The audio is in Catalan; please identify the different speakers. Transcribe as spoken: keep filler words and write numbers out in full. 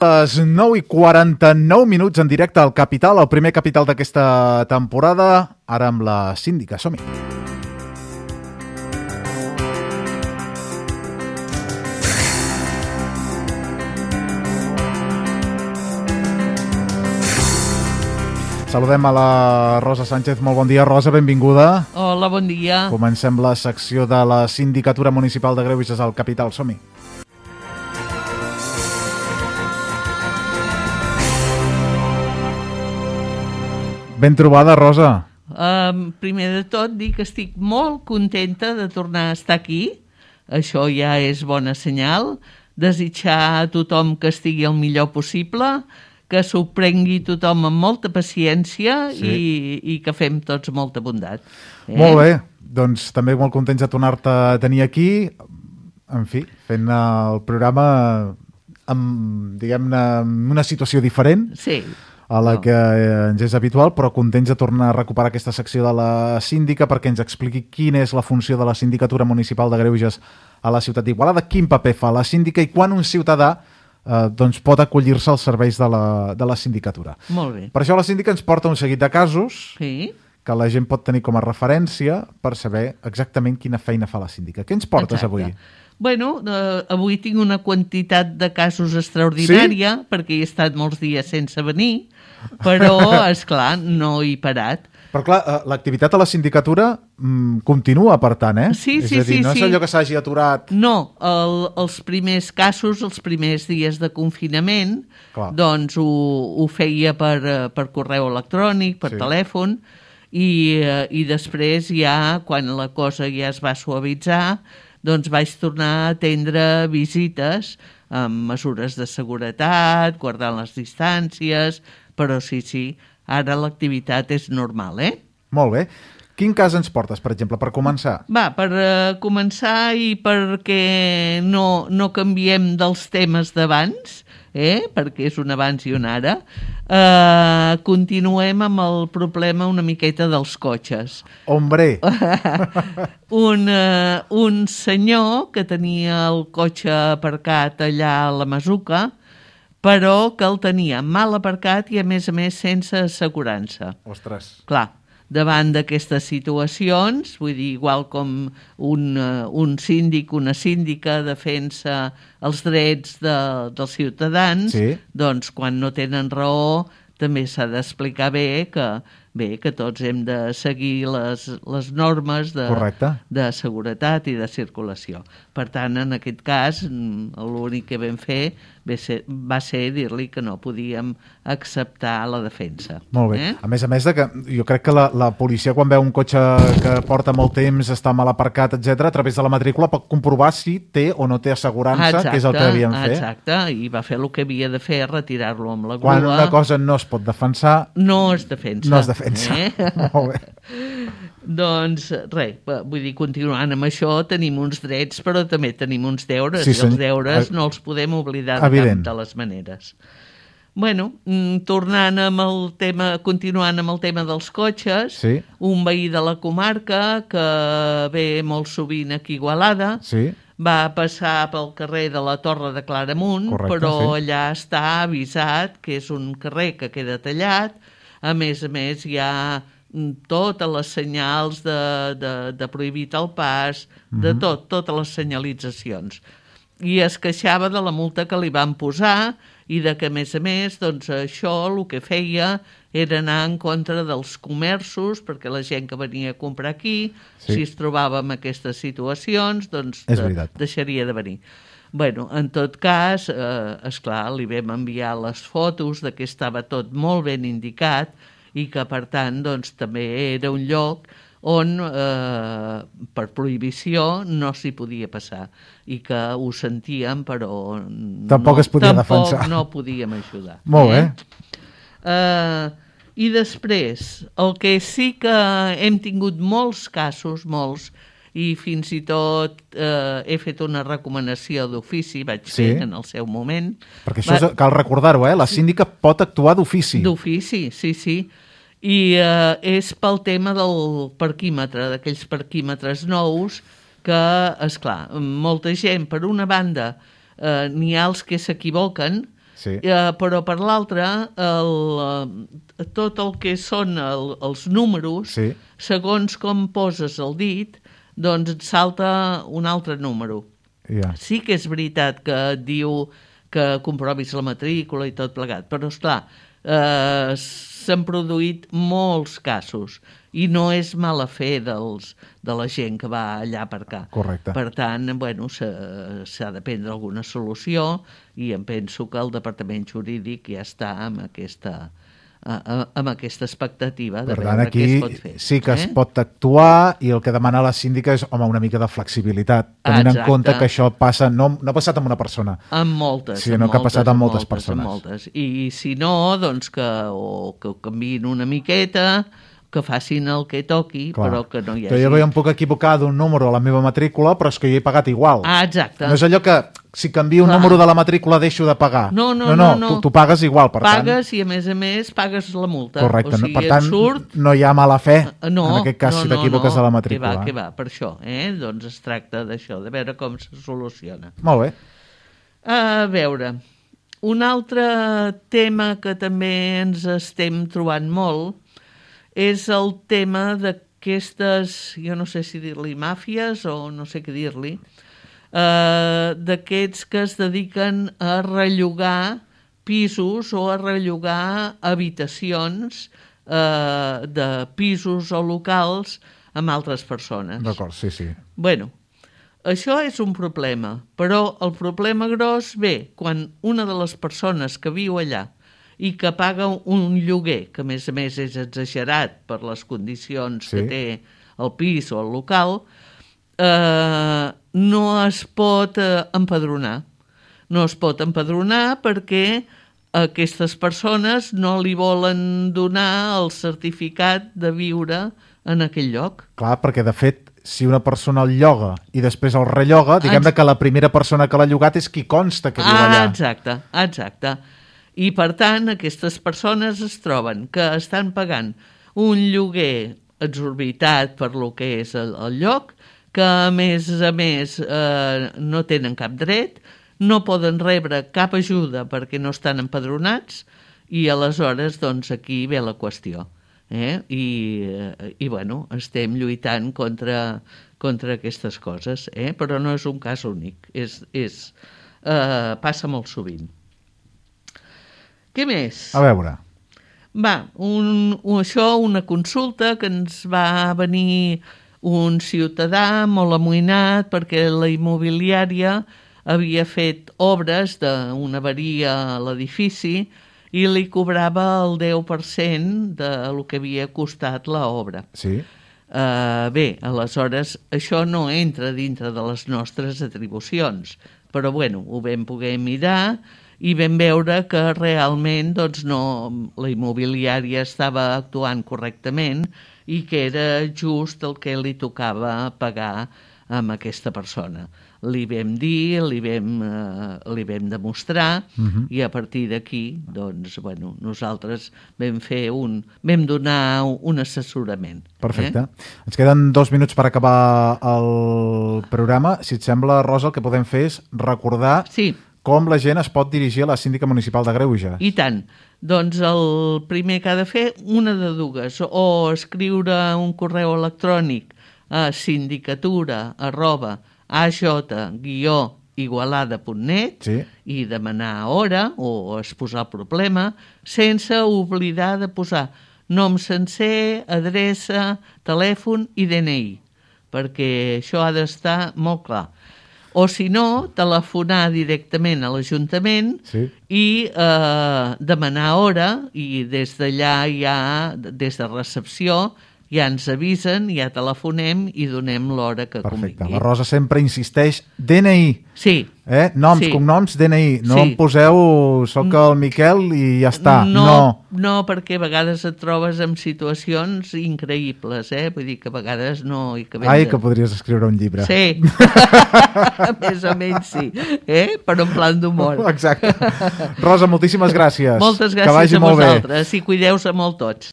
Speaker 1: Les nou i quaranta-nou minuts en directe al Capital, el primer Capital d'aquesta temporada, ara amb la síndica. Som-hi. Saludem a la Rosa Sánchez. Molt bon dia, Rosa, benvinguda.
Speaker 2: Hola, bon dia.
Speaker 1: Comencem la secció de la Sindicatura Municipal de Greuges al Capital. Som-hi. Ben trobada, Rosa.
Speaker 2: Um, primer de tot, dic que estic molt contenta de tornar a estar aquí. Això ja és bona senyal. Desitjar a tothom que estigui el millor possible, que s'ho prengui tothom amb molta paciència sí. i, i que fem tots molta bondat. Eh?
Speaker 1: Molt bé. Doncs també molt contents de tornar-te a tenir aquí. En fi, fent el programa amb, diguem-ne, una situació diferent.
Speaker 2: Sí.
Speaker 1: A la no. que ens és habitual, però contents de tornar a recuperar aquesta secció de la síndica perquè ens expliqui quina és la funció de la Sindicatura Municipal de Greuges a la ciutat d'Igualada, quin paper fa la síndica i quan un ciutadà eh, doncs pot acollir-se als serveis de la, de la sindicatura.
Speaker 2: Molt bé.
Speaker 1: Per això la síndica ens porta un seguit de casos
Speaker 2: sí.
Speaker 1: que la gent pot tenir com a referència per saber exactament quina feina fa la síndica. Què ens portes
Speaker 2: Exacte.
Speaker 1: avui?
Speaker 2: Bueno, eh, avui tinc una quantitat de casos extraordinària sí? perquè he estat molts dies sense venir, però, esclar, no he parat.
Speaker 1: Però clar, l'activitat a la sindicatura mm, continua, per tant, eh?
Speaker 2: Sí,
Speaker 1: és
Speaker 2: sí,
Speaker 1: a dir,
Speaker 2: sí.
Speaker 1: no és
Speaker 2: sí.
Speaker 1: allò que s'hagi aturat...
Speaker 2: No, el, els primers casos, els primers dies de confinament, clar. doncs ho, ho feia per, per correu electrònic, per sí. telèfon, i, i després ja, quan la cosa ja es va suavitzar, doncs vaig tornar a atendre visites amb mesures de seguretat, guardant les distàncies, però sí, sí, ara l'activitat és normal, eh?
Speaker 1: Molt bé. Quin cas ens portes, per exemple, per començar?
Speaker 2: Va, per uh, començar i perquè no, no canviem dels temes d'abans, eh? perquè és un abans i un ara, uh, continuem amb el problema una miqueta dels cotxes.
Speaker 1: Hombre!
Speaker 2: un, uh, un senyor que tenia el cotxe aparcat allà a la Masuca, però que el tenia mal aparcat i, a més a més, sense assegurança.
Speaker 1: Ostres.
Speaker 2: Clar, davant d'aquestes situacions, vull dir, igual com un, uh, un síndic, una síndica defensa els drets de, dels ciutadans,
Speaker 1: sí.
Speaker 2: doncs quan no tenen raó també s'ha d'explicar bé que, bé que tots hem de seguir les, les normes de, de seguretat i de circulació. Per tant, en aquest cas, l'únic que vam fer va ser, va ser dir-li que no podíem acceptar la defensa.
Speaker 1: Molt bé.
Speaker 2: Eh?
Speaker 1: A més a més, de que jo crec que la, la policia, quan veu un cotxe que porta molt temps, està mal aparcat, etcètera, a través de la matrícula pot comprovar si té o no té assegurança, exacte, que és el que devien fer.
Speaker 2: Exacte, i va fer el que havia de fer, retirar-lo amb la grua.
Speaker 1: Quan una cosa no es pot defensar...
Speaker 2: No es defensa.
Speaker 1: No es defensa. Eh? Molt bé.
Speaker 2: Doncs res, vull dir, continuant amb això, tenim uns drets, però també tenim uns deures,
Speaker 1: sí,
Speaker 2: i els deures no els podem oblidar de cap de les maneres. Bueno, tornant amb el tema, continuant amb el tema dels cotxes, sí. un veí de la comarca que ve molt sovint aquí a Igualada, sí. va passar pel carrer de la Torre de Claramunt, correcte, però sí. allà està avisat que és un carrer que queda tallat, a més a més hi ha totes les senyals de, de, de prohibit el pas, de tot, totes les senyalitzacions. I es queixava de la multa que li van posar i de que, a més a més, doncs això el que feia era anar en contra dels comerços, perquè la gent que venia a comprar aquí, sí. si es trobava en aquestes situacions, doncs de, deixaria de venir. Bueno, en tot cas, eh, esclar, li vam enviar les fotos de que estava tot molt ben indicat i que, per tant, doncs, també era un lloc on, eh, per prohibició, no s'hi podia passar i que ho sentíem, però
Speaker 1: tampoc
Speaker 2: no,
Speaker 1: es podia
Speaker 2: tampoc
Speaker 1: defensar.
Speaker 2: no podíem ajudar.
Speaker 1: Molt bé.
Speaker 2: Eh? Eh, I després, el que sí que hem tingut molts casos, molts, i fins i tot eh, he fet una recomanació d'ofici, vaig sí. fer en el seu moment.
Speaker 1: Perquè això Va... és, cal recordar-ho, eh? La síndica pot actuar d'ofici.
Speaker 2: D'ofici, sí, sí. I eh, és pel tema del parquímetre, d'aquells parquímetres nous que, esclar, molta gent, per una banda, eh, n'hi ha els que s'equivoquen
Speaker 1: sí.
Speaker 2: eh, però per l'altra, el, tot el que són el, els números,
Speaker 1: sí.
Speaker 2: segons com poses el dit, doncs et salta un altre número.
Speaker 1: Yeah.
Speaker 2: Sí que és veritat que et diu que comprovis la matrícula i tot plegat, però esclar, eh, s'han produït molts casos i no és mala fe dels, de la gent que va allà a aparcar.
Speaker 1: Correcte.
Speaker 2: Per tant, bueno, s'ha de prendre alguna solució i em penso que el Departament Jurídic ja està amb aquesta, amb aquesta expectativa de
Speaker 1: per
Speaker 2: veure
Speaker 1: tant,
Speaker 2: què es pot fer.
Speaker 1: Sí que
Speaker 2: eh?
Speaker 1: es pot actuar i el que demana la síndica és, home, una mica de flexibilitat, tenint
Speaker 2: Exacte.
Speaker 1: en compte que això passa, no, no ha passat amb una persona,
Speaker 2: amb moltes,
Speaker 1: sinó
Speaker 2: amb
Speaker 1: que ha
Speaker 2: moltes,
Speaker 1: passat amb moltes,
Speaker 2: moltes
Speaker 1: persones.
Speaker 2: Amb moltes. I si no, doncs que, o, que ho canviïn una miqueta, que facin el que toqui,
Speaker 1: Clar.
Speaker 2: però que no hi hagi...
Speaker 1: Jo ja em puc equivocar d'un número a la meva matrícula, però és que jo he pagat igual.
Speaker 2: Ah, exacte.
Speaker 1: No és allò que si canvio un
Speaker 2: Clar.
Speaker 1: número de la matrícula deixo de pagar.
Speaker 2: No, no,
Speaker 1: no.
Speaker 2: no. no.
Speaker 1: Tu, tu pagues igual, per
Speaker 2: pagues
Speaker 1: tant...
Speaker 2: i, a més a més, pagues la multa.
Speaker 1: Correcte.
Speaker 2: O sigui,
Speaker 1: per tant,
Speaker 2: surt...
Speaker 1: no hi ha mala fe,
Speaker 2: no,
Speaker 1: en aquest cas,
Speaker 2: no,
Speaker 1: si t'equivoques
Speaker 2: no,
Speaker 1: de la
Speaker 2: no.
Speaker 1: matrícula.
Speaker 2: Que va, que va, per això. Eh? Doncs es tracta d'això, de veure com se soluciona.
Speaker 1: Molt bé.
Speaker 2: A veure, un altre tema que també ens estem trobant molt és el tema d'aquestes, jo no sé si dir-li màfies o no sé què dir-li, eh, d'aquests que es dediquen a rellogar pisos o a rellogar habitacions eh, de pisos o locals amb altres persones.
Speaker 1: D'acord, sí, sí.
Speaker 2: Bueno, això és un problema, però el problema gros ve quan una de les persones que viu allà i que paga un lloguer, que a més a més és exagerat per les condicions sí. que té el pis o el local, eh, no es pot eh, empadronar. No es pot empadronar perquè aquestes persones no li volen donar el certificat de viure en aquell lloc.
Speaker 1: Clar, perquè de fet, si una persona el lloga i després el relloga, diguem Ex- que la primera persona que l'ha llogat és qui consta que viu
Speaker 2: ah,
Speaker 1: allà.
Speaker 2: Exacte, exacte. I, per tant, aquestes persones es troben que estan pagant un lloguer exorbitat per lo que és el, el lloc, que, a més a més, eh, no tenen cap dret, no poden rebre cap ajuda perquè no estan empadronats i, aleshores, doncs, aquí ve la qüestió. Eh? I, eh, i, bueno, estem lluitant contra, contra aquestes coses, eh? Però no és un cas únic, és, és, eh, passa molt sovint. Què més?
Speaker 1: A veure.
Speaker 2: Va, un, un, això, una consulta que ens va venir un ciutadà molt amoïnat perquè la immobiliària havia fet obres d'una avaria a l'edifici i li cobrava el deu per cent del que havia costat l'obra.
Speaker 1: Sí.
Speaker 2: Uh, bé, aleshores, això no entra dintre de les nostres atribucions, però bueno, ho vam poder mirar i vam veure que realment doncs, no, la immobiliària estava actuant correctament i que era just el que li tocava pagar amb aquesta persona. Li vam dir, li vam, eh, li vam demostrar uh-huh. i a partir d'aquí doncs, bueno, nosaltres vam fer un, vam donar un assessorament.
Speaker 1: Perfecte.
Speaker 2: Eh?
Speaker 1: Ens queden dos minuts per acabar el programa. Si et sembla, Rosa, el que podem fer és recordar
Speaker 2: sí.
Speaker 1: com la gent es pot dirigir a la síndica municipal de Greuges.
Speaker 2: I tant. Doncs el primer que ha de fer, una de dues, o escriure un correu electrònic a sindicatura arroba aj guió igualada punt net
Speaker 1: sí.
Speaker 2: i demanar hora o exposar el problema sense oblidar de posar nom sencer, adreça, telèfon i D N I, perquè això ha d'estar molt clar. O, si no, telefonar directament a l'Ajuntament
Speaker 1: sí.
Speaker 2: i eh, demanar hora, i des d'allà ja, des de recepció, ja ens avisen, ja telefonem i donem l'hora que
Speaker 1: Perfecte.
Speaker 2: convingui.
Speaker 1: La Rosa sempre insisteix, D N I.
Speaker 2: Sí.
Speaker 1: Eh? Noms,
Speaker 2: sí.
Speaker 1: cognoms, D N I. No
Speaker 2: sí.
Speaker 1: em poseu, soc el Miquel i ja està.
Speaker 2: No,
Speaker 1: no,
Speaker 2: no, perquè a vegades et trobes en situacions increïbles, eh? Vull dir que a vegades no... I que
Speaker 1: Ai,
Speaker 2: de...
Speaker 1: que podries escriure un llibre.
Speaker 2: Sí, més o menys sí, eh? Però en plan d'humor.
Speaker 1: Exacte. Rosa, moltíssimes gràcies.
Speaker 2: Moltes gràcies
Speaker 1: que vagi
Speaker 2: a
Speaker 1: molt
Speaker 2: vosaltres bé. I cuideu-se molt tots.